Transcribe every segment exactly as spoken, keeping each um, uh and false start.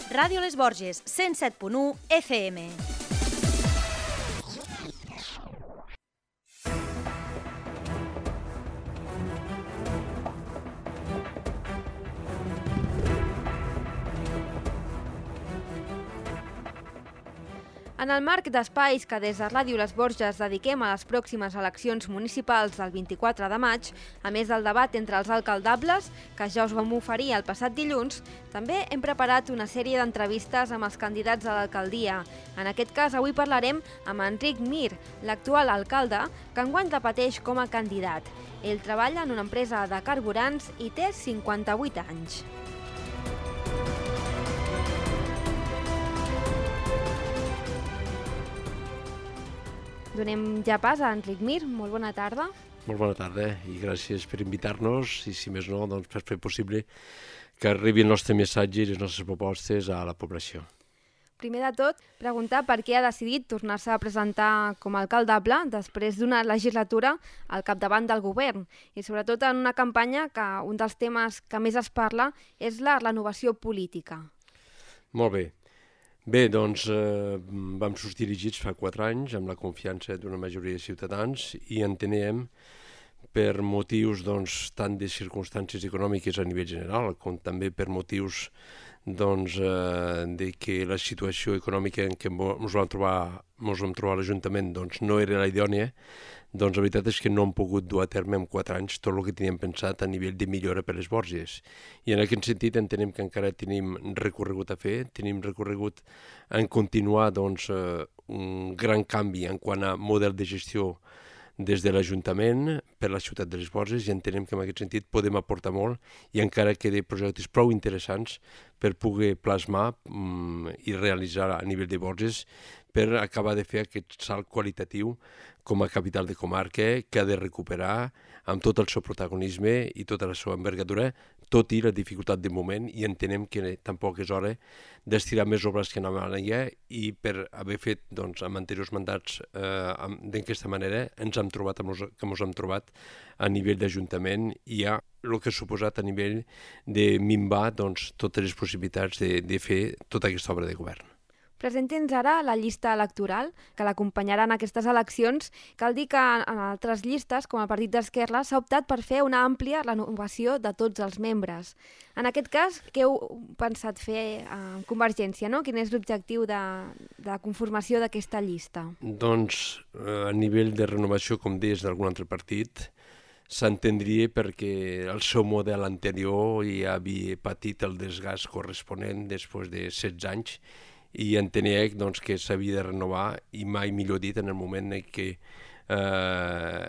Ràdio Les Borges, cent set punt u F M. En el marc d'espais que des de Ràdio Les Borges dediquem a les pròximes eleccions municipals del vint-i-quatre de maig, a més del debat entre els alcaldables, que ja us vam oferir el passat dilluns, també hem preparat una sèrie d'entrevistes amb els candidats a l'alcaldia. En aquest cas, avui parlarem amb Enric Mir, l'actual alcalde, que enguany repeteix com a candidat. Ell treballa en una empresa de carburants i té cinquanta-vuit anys. Donem ja pas a Enric Mir. Molt bona tarda. Molt bona tarda i gràcies per invitar-nos i, si més no, doncs, per fer possible que arribi el nostre missatge i les nostres propostes a la població. Primer de tot, preguntar per què ha decidit tornar-se a presentar com a alcaldable després d'una legislatura al capdavant del govern i sobretot en una campanya que un dels temes que més es parla és la renovació política. Molt bé. Bé, doncs eh, vam sortir dirigits fa quatre anys amb la confiança d'una majoria de ciutadans i entenem per motius doncs, tant de circumstàncies econòmiques a nivell general com també per motius doncs, eh, de que la situació econòmica en què ens vam trobar, ens vam trobar a l'Ajuntament doncs, no era la idònia, doncs la veritat és que no hem pogut dur a terme en quatre anys tot el que teníem pensat a nivell de millora per les Borges. I en aquest sentit entenem que encara tenim recorregut a fer, tenim recorregut en continuar doncs, eh, un gran canvi en quant a model de gestió des de l'Ajuntament per la ciutat de les Borges i entenem que en aquest sentit podem aportar molt i encara queden projectes prou interessants per poder plasmar mm, i realitzar a nivell de Borges per acabar de fer aquest salt qualitatiu com a capital de comarca que ha de recuperar amb tot el seu protagonisme i tota la seva envergadura, tot i la dificultat de moment, i entenem que tampoc és hora d'estirar més obres que anaven allà i per haver fet doncs, amb anteriors mandats eh, d'aquesta manera ens hem trobat amb los, que ens hem trobat a nivell d'Ajuntament i ja el que ha suposat a nivell de minvar doncs, totes les possibilitats de, de fer tota aquesta obra de govern. Presenti'ns ara la llista electoral que l'acompanyarà en aquestes eleccions. Cal dir que en altres llistes, com el Partit d'Esquerra, s'ha optat per fer una àmplia renovació de tots els membres. En aquest cas, què heu pensat fer amb Convergència, no? Quin és l'objectiu de, de conformació d'aquesta llista? Doncs a nivell de renovació, com deies, d'algun altre partit, s'entendria perquè el seu model anterior ja havia patit el desgast corresponent després de setze anys i entenia doncs, que s'havia de renovar i mai millor dit en el moment en què eh,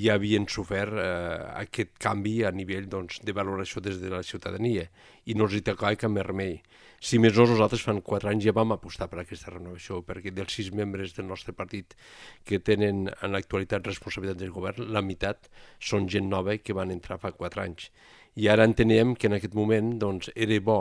ja havien sofert eh, aquest canvi a nivell doncs, de valoració des de la ciutadania i no els hi tocava cap més remei. Si més no, nosaltres fa quatre anys ja vam apostar per aquesta renovació perquè dels sis membres del nostre partit que tenen en l'actualitat responsabilitat del govern, la meitat són gent nova que van entrar fa quatre anys. I ara entenem que en aquest moment doncs, era bo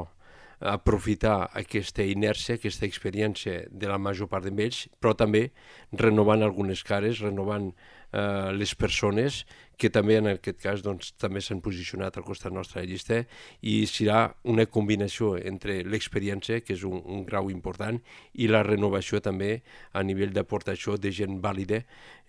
aprofitar aquesta inèrcia, aquesta experiència de la major part d'ells, però també renovant algunes cares, renovant eh, les persones que també en aquest cas doncs, també s'han posicionat al costat nostre de la llista i serà una combinació entre l'experiència, que és un, un grau important, i la renovació també a nivell d'aportació de gent vàlida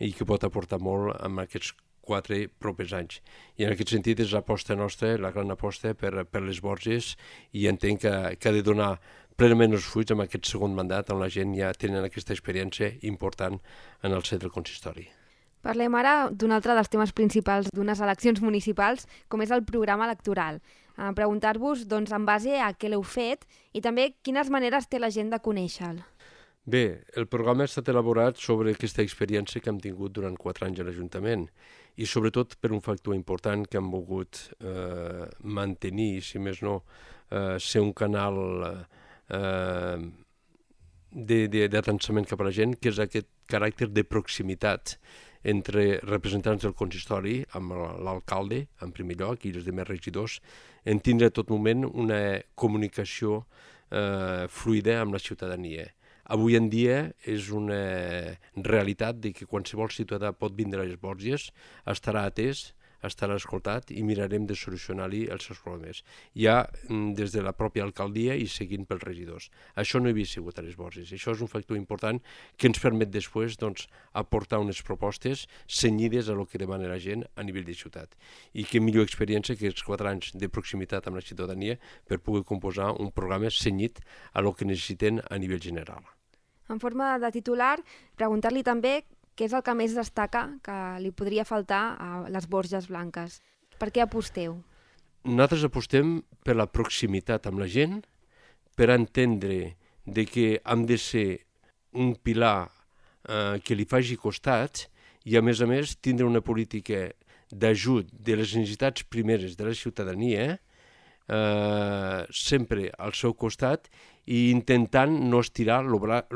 i que pot aportar molt amb aquests quatre propers anys. I en aquest sentit és l'aposta nostra, la gran aposta per, per les Borges i entenc que, que ha de donar plenament els fruits amb aquest segon mandat on la gent ja tenen aquesta experiència important en el centre del consistori. Parlem ara d'un altre dels temes principals d'unes eleccions municipals, com és el programa electoral. A preguntar-vos, doncs, en base a què l'heu fet i també quines maneres té la gent de conèixer-lo. Bé, el programa ha estat elaborat sobre aquesta experiència que hem tingut durant quatre anys a l'Ajuntament i sobretot per un factor important que hem volgut eh, mantenir, si més no, eh, ser un canal eh, d'atençament cap a la gent, que és aquest caràcter de proximitat entre representants del consistori, amb l'alcalde, en primer lloc, i els demés regidors, en tindre a tot moment una comunicació eh, fluida amb la ciutadania. Avui en dia és una realitat de que qualsevol ciutadà pot vindre a les Borges, estarà atès, estarà escoltat i mirarem de solucionar-li els seus problemes. Ja des de la pròpia alcaldia i seguint pels regidors. Això no havia sigut a les Borges. Això és un factor important que ens permet després doncs, aportar unes propostes cenyides a lo que demana la gent a nivell de ciutat. I que millor experiència que els quatre anys de proximitat amb la ciutadania per poder composar un programa cenyit a lo que necessiten a nivell general. En forma de titular, preguntar-li també què és el que més destaca que li podria faltar a les Borges Blanques. Per què aposteu? Nosaltres apostem per la proximitat amb la gent, per entendre de que hem de ser un pilar eh, que li faci costat i, a més a més, tindre una política d'ajut de les necessitats primeres de la ciutadania eh, sempre al seu costat i intentant no estirar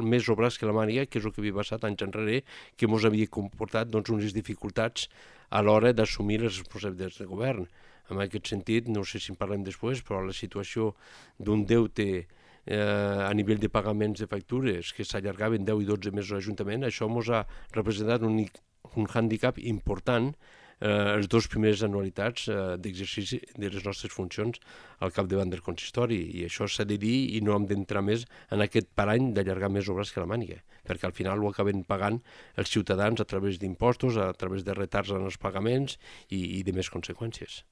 més el braç que la màniga, que és el que havia passat anys enrere, que ens havia comportat doncs, unes dificultats a l'hora d'assumir les responsabilitats de govern. En aquest sentit, no sé si en parlem després, però la situació d'un deute eh, a nivell de pagaments de factures que s'allargaven deu i dotze mesos a l'Ajuntament, això ens ha representat un, un hàndicap important eh, les dues primeres anualitats eh, d'exercici de les nostres funcions al capdavant del consistori, i això s'ha de dir i no hem d'entrar més en aquest parany d'allargar més obres que la màniga, perquè al final ho acaben pagant els ciutadans a través d'impostos, a través de retards en els pagaments i, i de més conseqüències.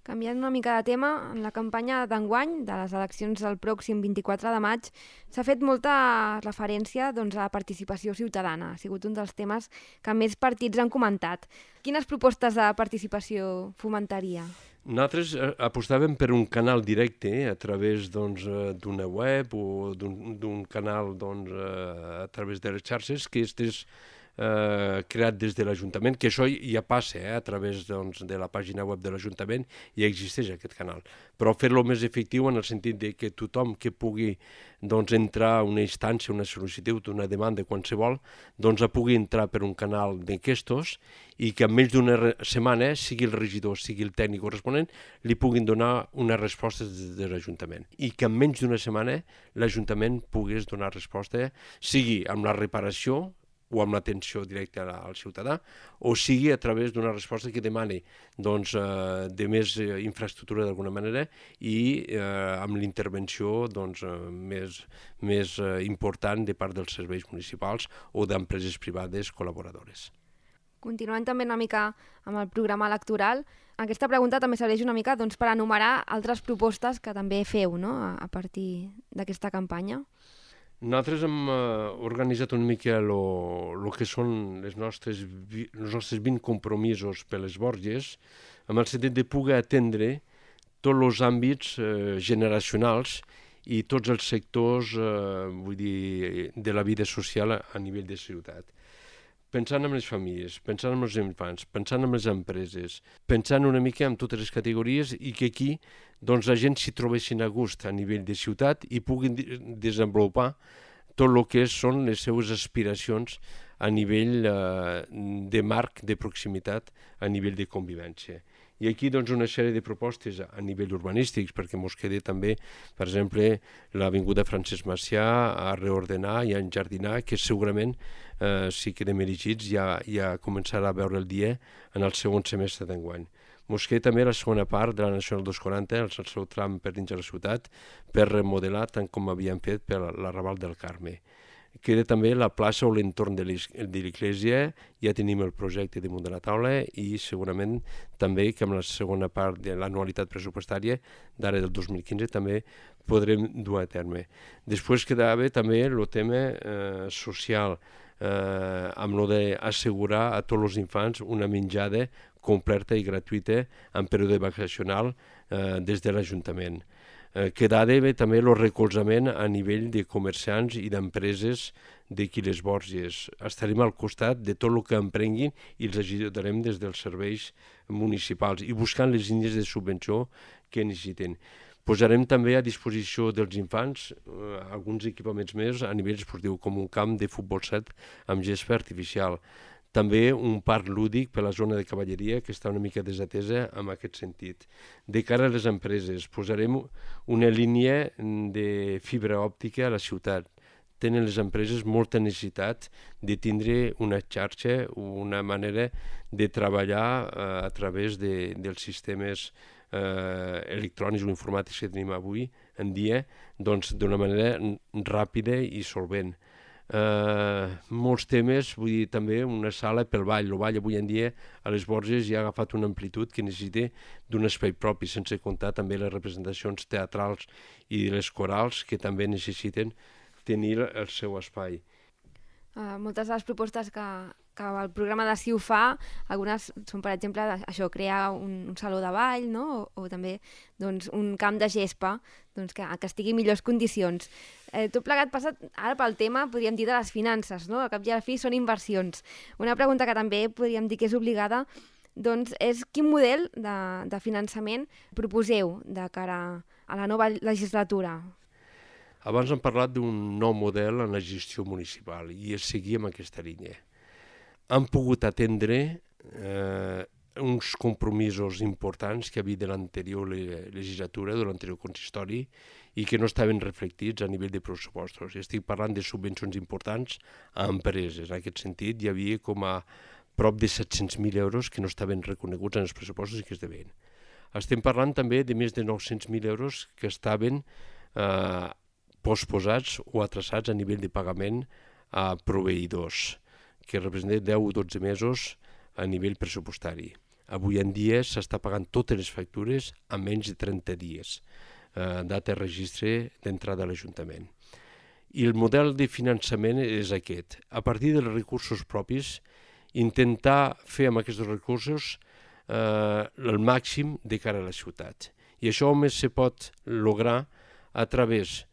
Canviant una mica de tema, en la campanya d'enguany de les eleccions del pròxim vint-i-quatre de maig s'ha fet molta referència doncs, a la participació ciutadana. Ha sigut un dels temes que més partits han comentat. Quines propostes de participació fomentaria? Nosaltres apostàvem per un canal directe eh, a través doncs, d'una web o d'un canal doncs, a través de les xarxes que estés Eh, creat des de l'Ajuntament, que això ja passa eh, a través doncs, de la pàgina web de l'Ajuntament, ja existeix aquest canal. Però fer-lo més efectiu en el sentit de que tothom que pugui doncs, entrar a una instància, una sol·licitud, una demanda, qualsevol, doncs pugui entrar per un canal d'enquestos i que en menys d'una setmana, sigui el regidor, sigui el tècnic corresponent, li puguin donar una resposta des de l'Ajuntament. I que en menys d'una setmana l'Ajuntament pogués donar resposta, sigui amb la reparació o amb l'atenció directa al ciutadà, o sigui a través d'una resposta que demani doncs, eh, de més eh, infraestructura d'alguna manera i eh, amb l'intervenció doncs, eh, més, més eh, important de part dels serveis municipals o d'empreses privades col·laboradores. Continuant també una mica amb el programa electoral, aquesta pregunta també serveix una mica doncs, per enumerar altres propostes que també feu no? a, a partir d'aquesta campanya. Nosaltres hem eh, organitzat una mica el que són les nostres, els nostres vint compromisos per les Borges, amb el sentit de poder atendre tots els àmbits eh, generacionals i tots els sectors eh, vull dir, de la vida social a, a nivell de ciutat. Pensant en les famílies, pensant en els infants, pensant en les empreses, pensant una mica en totes les categories i que aquí doncs, la gent s'hi trobessin a gust a nivell de ciutat i puguin desenvolupar tot el que són les seues aspiracions a nivell eh, de marc de proximitat, a nivell de convivència. I aquí doncs, una sèrie de propostes a nivell urbanístics, perquè ens queda també, per exemple, l'avinguda Francesc Macià a reordenar i a enjardinar, que segurament eh, si quedem elegits ja, ja començarà a veure el dia en el segon semestre d'enguany. Ens queda també la segona part de la Nacional dos quaranta, el seu tram per dins de la ciutat, per remodelar tant com havíem fet per l'arrabal del Carme. Queda també la plaça o l'entorn de l'Església, ja tenim el projecte damunt de la taula i segurament també que amb la segona part de l'anualitat pressupostària d'ara del dos mil quinze també podrem dur a terme. Després quedava també el tema eh, social, eh, amb el d'assegurar a tots els infants una menjada completa i gratuïta en període vacacional eh, des de l'Ajuntament. Eh, quedava també el recolzament a nivell de comerciants i d'empreses d'aquí les Borges. Estarem al costat de tot el que emprenguin i els ajudarem des dels serveis municipals i buscant les línies de subvenció que necessiten. Posarem també a disposició dels infants eh, alguns equipaments més a nivell esportiu, com un camp de futbol set amb gespa artificial. També un parc lúdic per la zona de cavalleria que està una mica desatesa en aquest sentit. De cara a les empreses, posarem una línia de fibra òptica a la ciutat, tenen les empreses molta necessitat de tindre una xarxa, una manera de treballar eh, a través de, dels sistemes eh, electrònics o informàtics que tenim avui en dia, doncs d'una manera ràpida i solvent. Eh, molts temes, vull dir, també una sala pel ball. El ball avui en dia a les Borges ja ha agafat una amplitud que necessita d'un espai propi, sense comptar també les representacions teatrals i les corals que també necessiten tenir el seu espai. Uh, moltes de les propostes que, que el programa de C I U fa, algunes són, per exemple, això, crear un, un saló de ball, no? o, o també doncs, un camp de gespa doncs, que, que estigui en millors condicions. Eh, tot plegat passa ara pel tema, podríem dir, de les finances, no? Al cap i a la fi són inversions. Una pregunta que també podríem dir que és obligada doncs, és quin model de, de finançament proposeu de cara a la nova legislatura? Abans hem parlat d'un nou model en la gestió municipal i es seguia amb aquesta línia. Han pogut atendre eh, uns compromisos importants que havia de l'anterior legislatura, de l'anterior consistori, i que no estaven reflectits a nivell de pressupostos. Estic parlant de subvencions importants a empreses. En aquest sentit, hi havia com a prop de set-cents mil euros que no estaven reconeguts en els pressupostos i que es deven. Estem parlant també de més de nou-cents mil euros que estaven eh, posposats o atrasats a nivell de pagament a proveïdors, que representa deu o dotze mesos a nivell pressupostari. Avui en dia s'està pagant totes les factures a menys de trenta dies, eh, data de registre d'entrada a l'Ajuntament. I el model de finançament és aquest. A partir dels recursos propis, intentar fer amb aquests recursos eh, el màxim de cara a la ciutat. I això només se pot lograr a través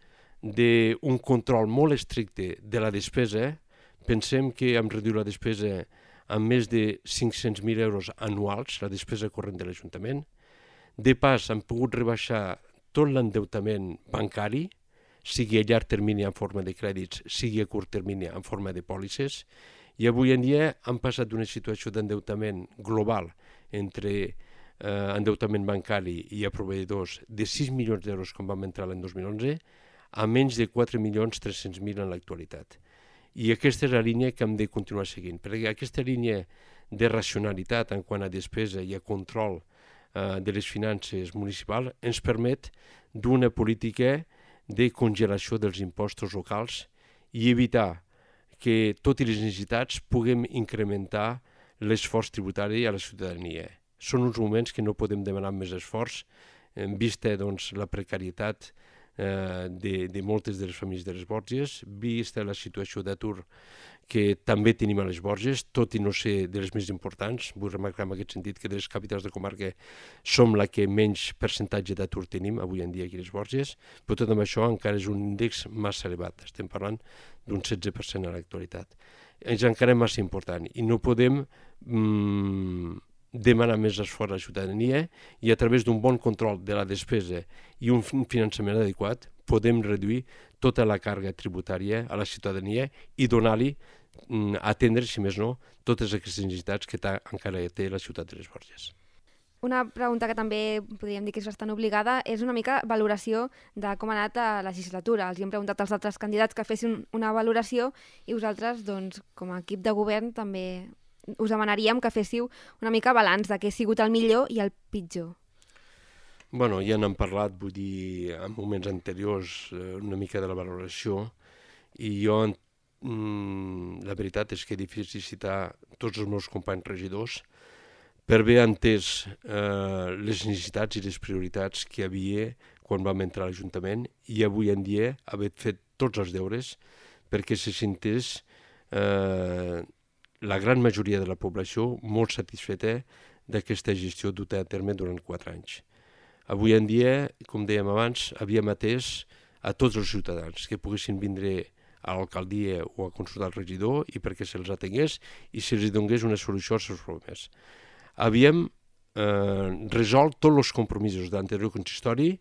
d'un control molt estricte de la despesa. Pensem que hem reduït la despesa amb més de cinc-cents mil euros anuals, la despesa corrent de l'Ajuntament. De pas, hem pogut rebaixar tot l'endeutament bancari, sigui a llarg termini en forma de crèdits, sigui a curt termini en forma de pòlisses, i avui en dia hem passat d'una situació d'endeutament global entre eh, endeutament bancari i a proveïdors de sis milions d'euros quan vam entrar l'any dos mil onze a menys de quatre milions tres-cents mil en l'actualitat. I aquesta és la línia que hem de continuar seguint, perquè aquesta línia de racionalitat en quant a despesa i a control eh, de les finances municipals ens permet d'una política de congelació dels impostos locals i evitar que, tot i les necessitats, puguem incrementar l'esforç tributari a la ciutadania. Són uns moments que no podem demanar més esforç, en vista doncs, la precarietat eh, de, de moltes de les famílies de les Borges, vista la situació d'atur que també tenim a les Borges, tot i no ser de les més importants. Vull remarcar en aquest sentit que de les capitals de comarca som la que menys percentatge d'atur tenim avui en dia aquí a les Borges, però tot amb això encara és un índex massa elevat. Estem parlant d'un setze per cent a l'actualitat. És encara massa important i no podem mm, demanar més esforç a la ciutadania i a través d'un bon control de la despesa i un finançament adequat podem reduir tota la càrrega tributària a la ciutadania i donar-li, atendre, si més no, totes aquestes necessitats que encara té la ciutat de les Borges. Una pregunta que també podríem dir que és bastant obligada és una mica valoració de com ha anat la legislatura. Els hem preguntat als altres candidats que fessin una valoració i vosaltres, doncs, com a equip de govern, també us demanaríem que féssiu una mica balanç de què ha sigut el millor i el pitjor. Bueno, ja n'hem parlat, vull dir, en moments anteriors, una mica de la valoració, i jo, mm, la veritat és que és difícil citar tots els meus companys regidors per haver entès eh, les necessitats i les prioritats que hi havia quan vam entrar a l'Ajuntament i avui en dia haver fet tots els deures perquè se sentés eh, la gran majoria de la població molt satisfeta d'aquesta gestió duta a terme durant quatre anys. Avui en dia, com dèiem abans, havíem atès a tots els ciutadans que poguessin vindre a l'alcaldia o a consultar el regidor i perquè se'ls atengués i se'ls donés una solució als seus problemes. Havíem eh, resolt tots els compromisos de l'anterior consistori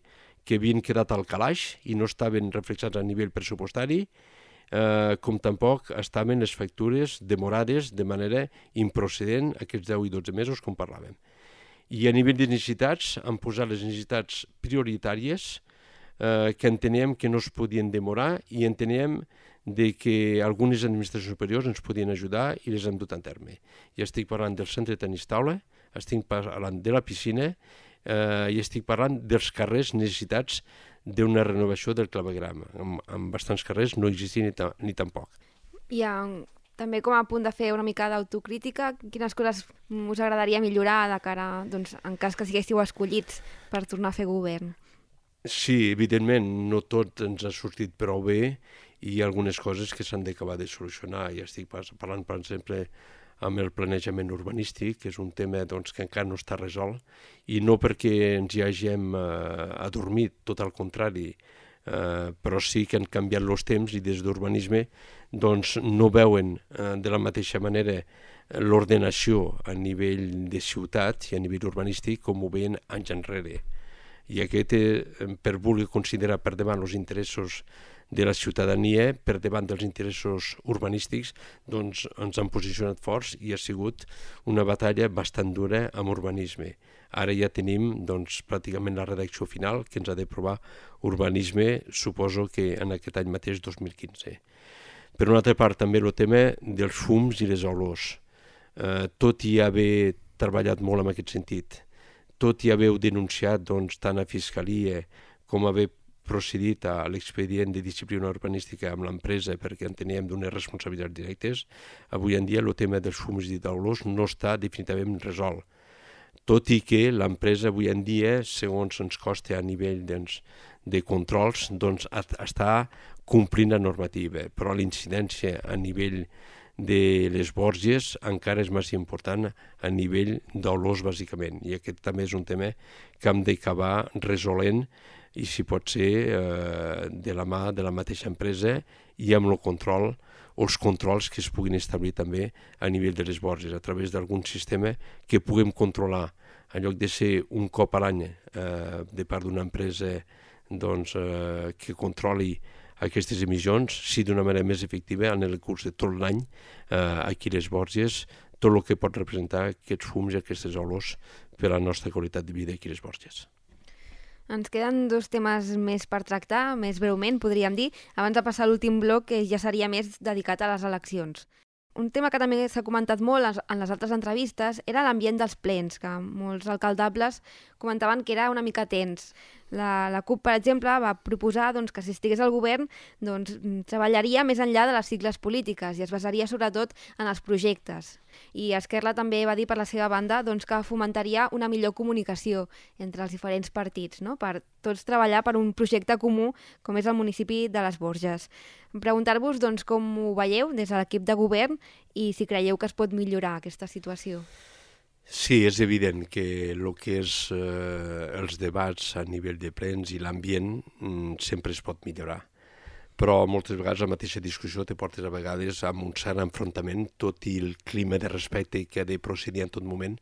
que havien quedat al calaix i no estaven reflexats a nivell pressupostari, eh, com tampoc estaven les factures demorades de manera improcedent aquests deu i dotze mesos com parlàvem. I a nivell de necessitats han posat les necessitats prioritàries eh, que enteníem que no es podien demorar i enteníem de que algunes administracions superiors ens podien ajudar i les hem dut a terme. Ja estic parlant del centre de tenis taula, estic parlant de la piscina eh, i estic parlant dels carrers necessitats d'una renovació del clavegram. En, en bastants carrers no existia ni, ta, ni tampoc. I en, també com a punt de fer una mica d'autocrítica, quines coses us agradaria millorar de cara, doncs, en cas que siguéssiu escollits per tornar a fer govern? Sí, evidentment, no tot ens ha sortit prou bé i hi ha algunes coses que s'han d'acabar de solucionar. Ja estic parlant, per exemple, amb el planejament urbanístic, que és un tema doncs, que encara no està resolt, i no perquè ens hi hàgim eh, adormit, tot al contrari, eh, però sí que han canviat els temps i des d'urbanisme doncs, no veuen eh, de la mateixa manera l'ordenació a nivell de ciutat i a nivell urbanístic com ho veien anys enrere. I aquest, eh, per voler considerar per davant els interessos de la ciutadania, per davant dels interessos urbanístics, doncs ens han posicionat forts i ha sigut una batalla bastant dura amb urbanisme. Ara ja tenim doncs, pràcticament la redacció final que ens ha d'aprovar urbanisme, suposo que en aquest any mateix, dos mil quinze. Per una altra part, també el tema dels fums i les olors. Eh, tot i haver treballat molt en aquest sentit, tot i haver denunciat doncs, tant a Fiscalia com haver procedit a l'expedient de disciplina urbanística amb l'empresa perquè en teníem d'unes responsabilitats directes, avui en dia el tema dels fums i d'olors no està definitivament resolt. Tot i que l'empresa avui en dia, segons ens costa a nivell doncs, de controls, doncs, està complint la normativa, però l'incidència a nivell de les Borges encara és més important a nivell d'olors, bàsicament. I aquest també és un tema que hem d'acabar resolent i si pot ser eh, de la mà de la mateixa empresa i amb el control o els controls que es puguin establir també a nivell de les Borges, a través d'algun sistema que puguem controlar, en lloc de ser un cop a l'any eh, de part d'una empresa doncs, eh, que controli aquestes emissions, sí d'una manera més efectiva en el curs de tot l'any eh, aquí a les Borges, tot el que pot representar aquests fums i aquestes olors per a la nostra qualitat de vida aquí a les Borges. Ens queden dos temes més per tractar, més breument, podríem dir, abans de passar a l'últim bloc, que ja seria més dedicat a les eleccions. Un tema que també s'ha comentat molt en les altres entrevistes era l'ambient dels plens, que molts alcaldables comentaven que era una mica tens. La, la CUP, per exemple, va proposar doncs, que si estigués al govern doncs, treballaria més enllà de les sigles polítiques i es basaria sobretot en els projectes. I Esquerra també va dir per la seva banda doncs, que fomentaria una millor comunicació entre els diferents partits, no? Per tots treballar per un projecte comú com és el municipi de les Borges. Preguntar-vos doncs, com ho veieu des de l'equip de govern i si creieu que es pot millorar aquesta situació. Sí, és evident que el que és eh, els debats a nivell de plens i l'ambient mm, sempre es pot millorar. Però moltes vegades la mateixa discussió te portes a vegades amb un cert enfrontament, tot i el clima de respecte que ha de procedir en tot moment.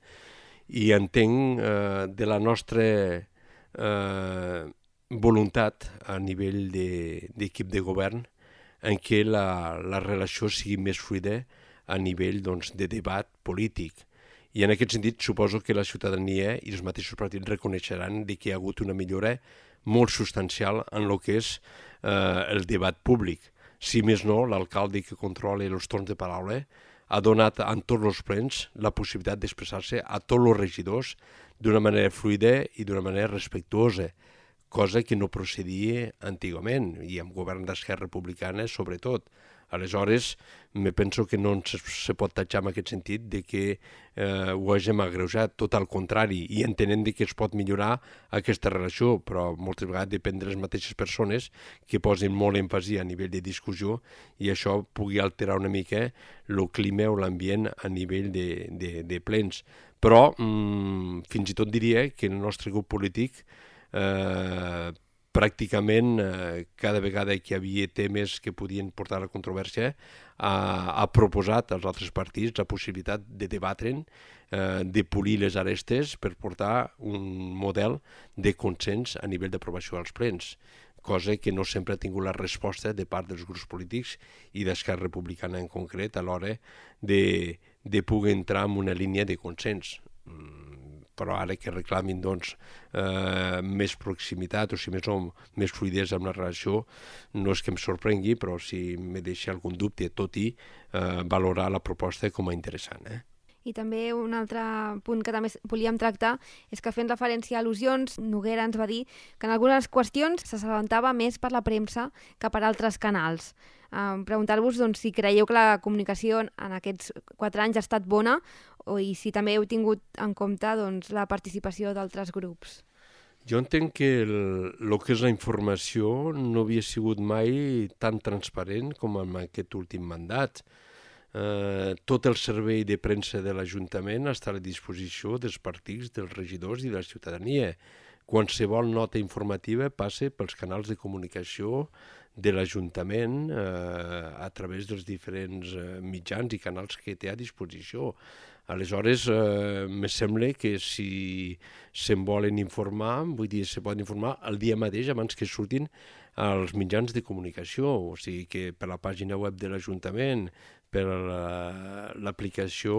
I entenc eh, de la nostra eh, voluntat a nivell d'equip de, de govern en què la, la relació sigui més fluida a nivell doncs, de debat polític. I en aquest sentit suposo que la ciutadania i els mateixos partits reconeixeran que hi ha hagut una millora molt substancial en el que és eh, el debat públic. Si més no, l'alcalde que controla els torns de paraula ha donat en tots els plens la possibilitat d'expressar-se a tots els regidors d'una manera fluida i d'una manera respectuosa, cosa que no procedia antigament, i amb govern d'Esquerra Republicana sobretot. Aleshores, me penso que no se, se pot tatxar en aquest sentit de que eh, ho hàgim agreujat, tot al contrari, i entenent que es pot millorar aquesta relació, però moltes vegades depèn de les mateixes persones que posen molt èmfasi a nivell de discussió i això pugui alterar una mica el clima o l'ambient a nivell de, de, de plens. Però mm, fins i tot diria que el nostre grup polític eh, pràcticament eh, cada vegada que hi havia temes que podien portar a la controvèrsia ha, ha proposat als altres partits la possibilitat de debatre'n, eh, de polir les arestes per portar un model de consens a nivell d'aprovació als plens, cosa que no sempre ha tingut la resposta de part dels grups polítics i d'Esquerra Republicana en concret a l'hora de, de poder entrar en una línia de consens. però ara que reclamin doncs, eh, més proximitat o si més no, més fluidesa amb la relació, no és que em sorprengui, però si me deixa algun dubte, tot i eh, valorar la proposta com a interessant. Eh? I també un altre punt que també volíem tractar és que fent referència a al·lusions, Noguera ens va dir que en algunes qüestions s'assabentava més per la premsa que per altres canals. Eh, preguntar-vos doncs, si creieu que la comunicació en aquests quatre anys ha estat bona o i si també heu tingut en compte doncs, la participació d'altres grups. Jo entenc que el, el que és la informació no havia sigut mai tan transparent com en aquest últim mandat. Eh, tot el servei de premsa de l'Ajuntament està a la disposició dels partits, dels regidors i de la ciutadania. Qualsevol nota informativa passa pels canals de comunicació de l'Ajuntament eh, a través dels diferents eh, mitjans i canals que té a disposició. Aleshores, eh, me sembla que si se'n volen informar, vull dir, se poden informar el dia mateix abans que surtin als mitjans de comunicació, o sigui que per la pàgina web de l'Ajuntament, per l'aplicació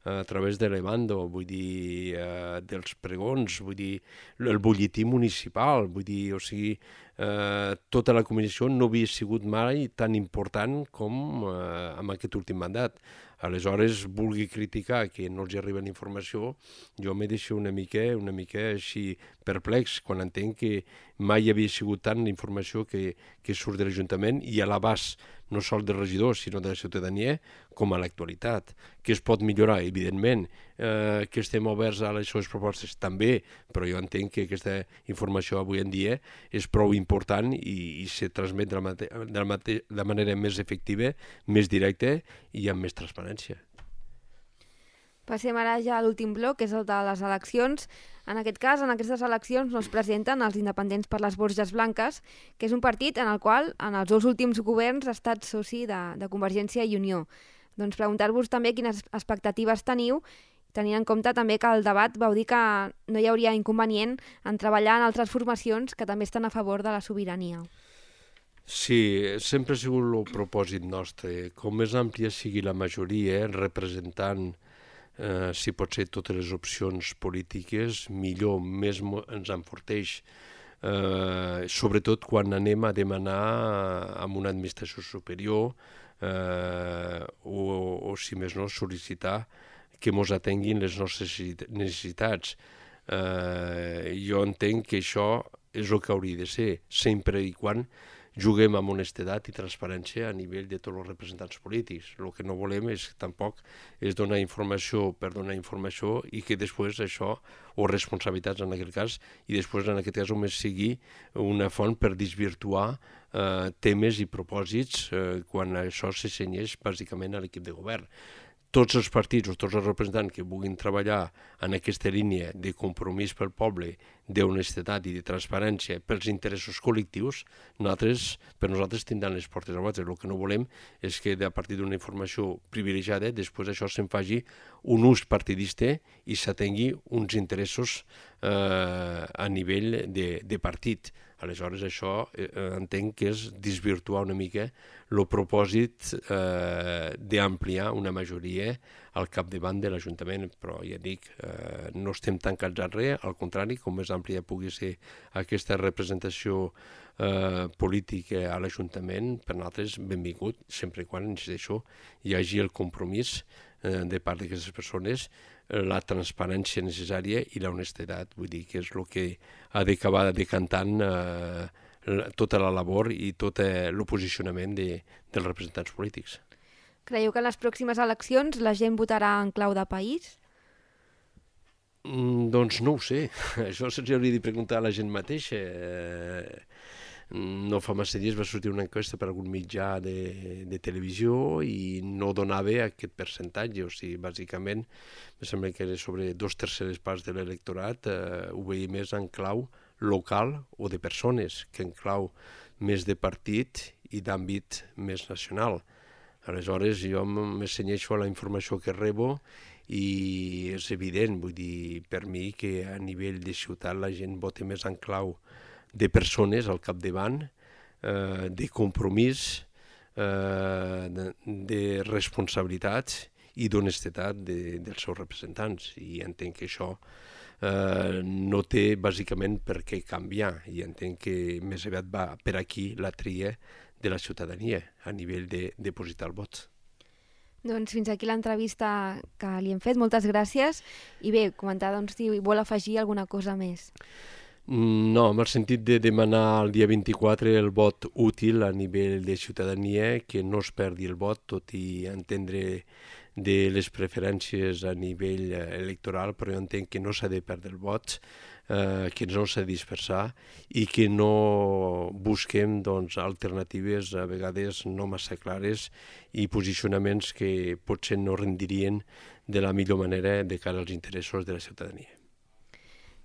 a través de l'Evando, vull dir, eh, dels pregons, vull dir, el butlletí municipal, vull dir, o sigui, eh, tota la comunicació no havia sigut mai tan important com eh, en aquest últim mandat. Aleshores, vulgui criticar que no els arriba la informació, jo me deixo una mica, una mica així perplex quan entenc que mai havia sigut tant la informació que, que surt de l'Ajuntament i a l'abast no sols dels regidors, sinó de la ciutadania, com a l'actualitat. Que es pot millorar, evidentment, eh, que estem oberts a les seves propostes també, però jo entenc que aquesta informació avui en dia és prou important i, i se transmet de la, mate de, la mate de la manera més efectiva, més directa i amb més transparència. Passem ara ja a l'últim bloc, que és el de les eleccions. En aquest cas, en aquestes eleccions no es presenten els independents per les Borges Blanques, que és un partit en el qual en els dos últims governs ha estat soci de, de Convergència i Unió. Doncs preguntar-vos també quines expectatives teniu, tenint en compte també que el debat vau dir que no hi hauria inconvenient en treballar en altres formacions que també estan a favor de la sobirania. Sí, sempre ha sigut el propòsit nostre. Com més àmplia sigui la majoria, representant Eh, si pot ser totes les opcions polítiques, millor, més ens enforteix, eh, sobretot quan anem a demanar amb una administració superior eh, o, o, si més no, sol·licitar que ens atenguin les nostres necessitats. Eh, jo entenc que això és el que hauria de ser, sempre i quan juguem amb honestedat i transparència a nivell de tots els representants polítics. El que no volem és tampoc és donar informació per donar informació i que després això, o responsabilitats en aquest cas, i després en aquest cas només sigui una font per desvirtuar eh, temes i propòsits eh, quan això se cenyeix bàsicament a l'equip de govern. Tots els partits o tots els representants que vulguin treballar en aquesta línia de compromís pel poble, d'honestedat i de transparència pels interessos col·lectius, nosaltres, per nosaltres tindran les portes obertes. El que no volem és que a partir d'una informació privilegiada després això se'n faci un ús partidista i s'atengui uns interessos eh, a nivell de, de partit. Aleshores, això eh, entenc que és desvirtuar una mica el propòsit eh, d'ampliar una majoria al capdavant de l'Ajuntament, però ja dic, eh, no estem tancats a res, al contrari, com més àmplia pugui ser aquesta representació eh, política a l'Ajuntament, per nosaltres benvingut, sempre i quan, insisteixo, hi hagi el compromís eh, de part d'aquestes persones, la transparència necessària i la honestedat, vull dir que és el que ha d'acabar decantant eh, tota la labor i tot eh, el posicionament de, dels representants polítics. Creieu que en les pròximes eleccions la gent votarà en clau de país? Mm, doncs no ho sé, això se'ls hauria de preguntar a la gent mateixa. Eh, no fa massa dies va sortir una enquesta per algun mitjà de, de televisió i no donava aquest percentatge, o sigui, bàsicament, em sembla que era sobre dos terceres parts de l'electorat, eh, ho veia més en clau local o de persones, que en clau més de partit i d'àmbit més nacional. Aleshores, jo m'assenyeixo a la informació que rebo i és evident, vull dir, per mi que a nivell de ciutat la gent vota més en clau de persones al capdavant, eh, de compromís, eh, de, de responsabilitats i d'honestedat de, dels seus representants. I entenc que això eh, no té bàsicament per què canviar, i entenc que més aviat va per aquí la tria de la ciutadania a nivell de depositar el vot. Doncs fins aquí l'entrevista que li hem fet, moltes gràcies. I bé, comentar doncs, si vol afegir alguna cosa més. No, en el sentit de demanar el dia vint-i-quatre el vot útil a nivell de ciutadania, que no es perdi el vot, tot i entendre de les preferències a nivell electoral, però jo entenc que no s'ha de perdre el vot, eh, que no s'ha de dispersar i que no busquem doncs, alternatives a vegades no massa clares i posicionaments que potser no rendirien de la millor manera de cara als interessos de la ciutadania.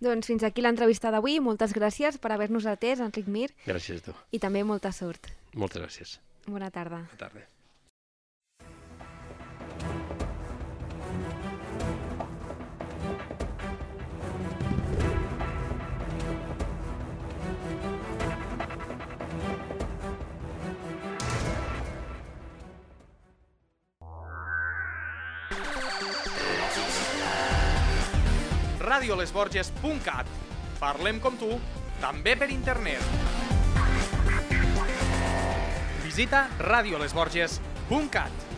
Doncs fins aquí l'entrevista d'avui. Moltes gràcies per haver-nos atès, Enric Mir. Gràcies a tu. I també molta sort. Moltes gràcies. Bona tarda. Bona tarda. radio les borges punt cat. Parlem com tu, també per internet. Visita radio les borges punt cat.